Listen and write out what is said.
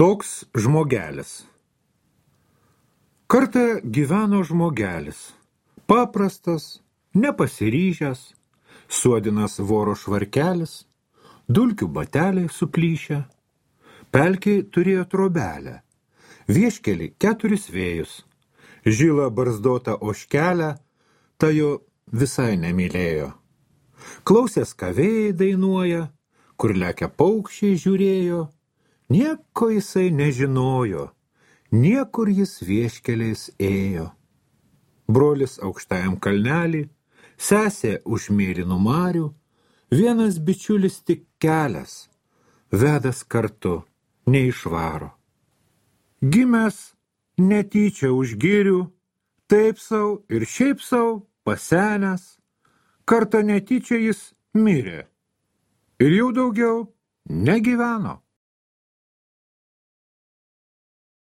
Toks žmogelis. Kartą gyveno žmogelis, paprastas, nepasiryžęs, suodinas voro švarkelis, dulkių bateliai suplyšę, pelkei turėjo trobelę, vieškelį 4 vėjus, žilą barzdotą ožkelę, ta jo visai nemylėjo. Klausęs, ką vėjai dainuoja, kur lekia paukščiai žiūrėjo, nieko jisai nežinojo, niekur jis vieškeliais ėjo. Brolis aukštajam kalnelį, sesė už mėlynų marių, vienas bičiulis tik kelias, vedas kartu neišvaro. Gimęs netyčia už girių, taip sau ir šiaip sau pasenęs, kartą netyčia jis mirė ir jau daugiau negyveno.